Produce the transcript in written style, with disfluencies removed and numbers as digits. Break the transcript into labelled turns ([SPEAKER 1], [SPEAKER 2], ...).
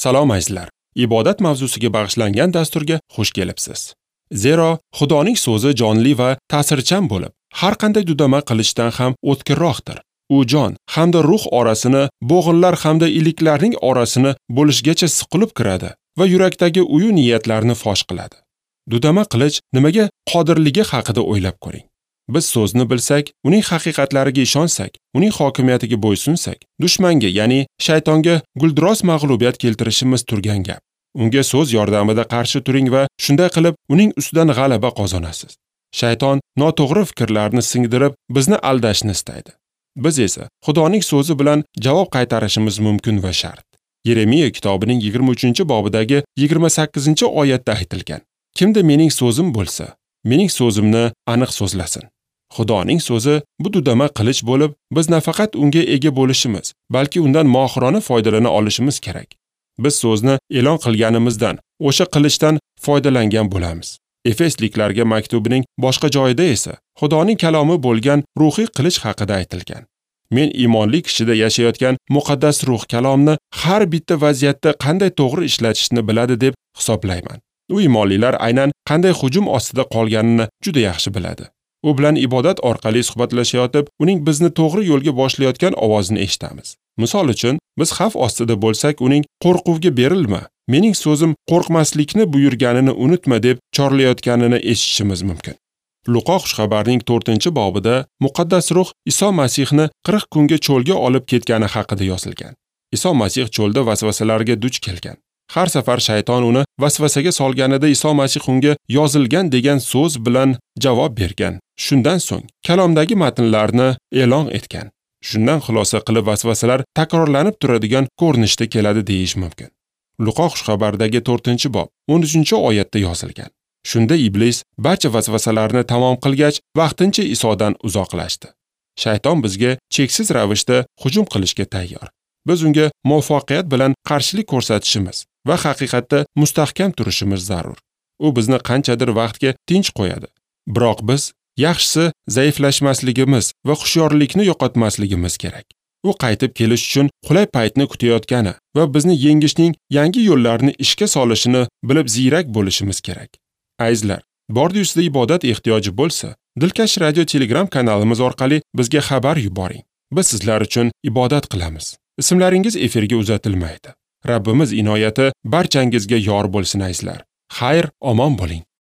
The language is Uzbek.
[SPEAKER 1] Salom azizlar. Ibodat mavzusiga bag'ishlangan dasturga xush kelibsiz. Zero Xudoning so'zi jonli va ta'sirchan bo'lib, har qanday dudama qilichdan ham o'tkirroqdir. U jon hamda ruh orasini, bo'g'inlar hamda iliklarning orasini bo'lishgacha siqilib kiradi va yurakdagi uyu niyatlarni fosh qiladi. Dudama qilich nimaga qodirligi haqida o'ylab ko'ring. Biz so'zni bilsak, uning haqiqatlariga ishonsak, uning hokimiyatiga bo'ysunsak, dushmanga, ya'ni shaytonga guldiroz mag'lubiyat keltirishimiz turgan gap. Unga so'z yordamida qarshi turing va shunday qilib uning ustidan g'alaba qozonasiz. Shayton noto'g'ri fikrlarni singdirib, bizni aldashni istaydi. Biz esa Xudoning so'zi bilan javob qaytarishimiz mumkin va shart. Yeremiya kitobining 23-bobidagi 28-oyatda aytilgan: Kimda mening so'zim bo'lsa, mening so'zimni aniq so'zlasin. Xudoning so'zi bu dudama qilich bo'lib, biz nafaqat unga ega bo'lishimiz, balki undan mohirona foydalana olishimiz kerak. Biz so'zni e'lon qilganimizdan, o'sha qilichdan foydalangan bo'lamiz. Efesliklarga maktubining boshqa joyida esa Xudoning kalomi bo'lgan ruhiy qilich haqida aytilgan. Men iymonli kishida yashayotgan muqaddas ruh kalomni har bitta vaziyatda qanday to'g'ri ishlatishni biladi deb hisoblayman. U iymonlilar aynan qanday hujum ostida qolganini juda yaxshi biladi. U bilan ibodat orqali suhbatlashayotib, uning bizni to'g'ri yo'lga boshlayotgan ovozini eshitamiz. Misol uchun, biz xavf ostida bo'lsak, uning qo'rquvga berilma, mening so'zim qo'rqmaslikni buyurganini unutma deb chorlayotganini eshitishimiz mumkin. Luqo xushxabarining 4-bobida muqaddas ruh Iso Masihni 40 kunga cho'lga olib ketgani haqida yozilgan. Iso Masih cho'lda vasvasalarga duch kelgan. Har safar shayton uni vasvasaga solganida Iso Masih unga yozilgan degan so'z bilan javob bergan. Shundan so'ng kalomdagi matnlarni e'lon etgan. Shundan xulosa qilib vasvasalar takrorlanib turadigan ko'rinishda keladi deyish mumkin. Luqo xushxabaridagi 4-bob 13-oyatda yozilgan. Shunda iblis barcha vasvasalarni tamom qilgach, vaqtincha Isodan uzoqlashdi. Shayton bizga cheksiz ravishda hujum qilishga tayyor. Biz unga muvaffaqiyat bilan qarshilik ko'rsatishimiz va haqiqatda mustahkam turishimiz zarur. U bizni qanchadir vaqtga tinch qo'yadi. Biroq biz yaxshisi zaiflashmasligimiz va hushyorlikni yo'qotmasligimiz kerak. U qaytib kelish uchun qulay paytni kutayotgani va bizni yengishning yangi yo'llarini ishga solishini bilib ziyrak bo'lishimiz kerak. Azizlar, bordi ustida ibodat ehtiyoji bo'lsa, Dilkash radio Telegram kanalimiz orqali bizga xabar yuboring. Biz sizlar uchun ibodat qilamiz. Ismlaringiz efirga uzatilmaydi. Rabbimiz inoyati barchangizga yor bo'lsin azizlar. Xayr, omon bo'ling.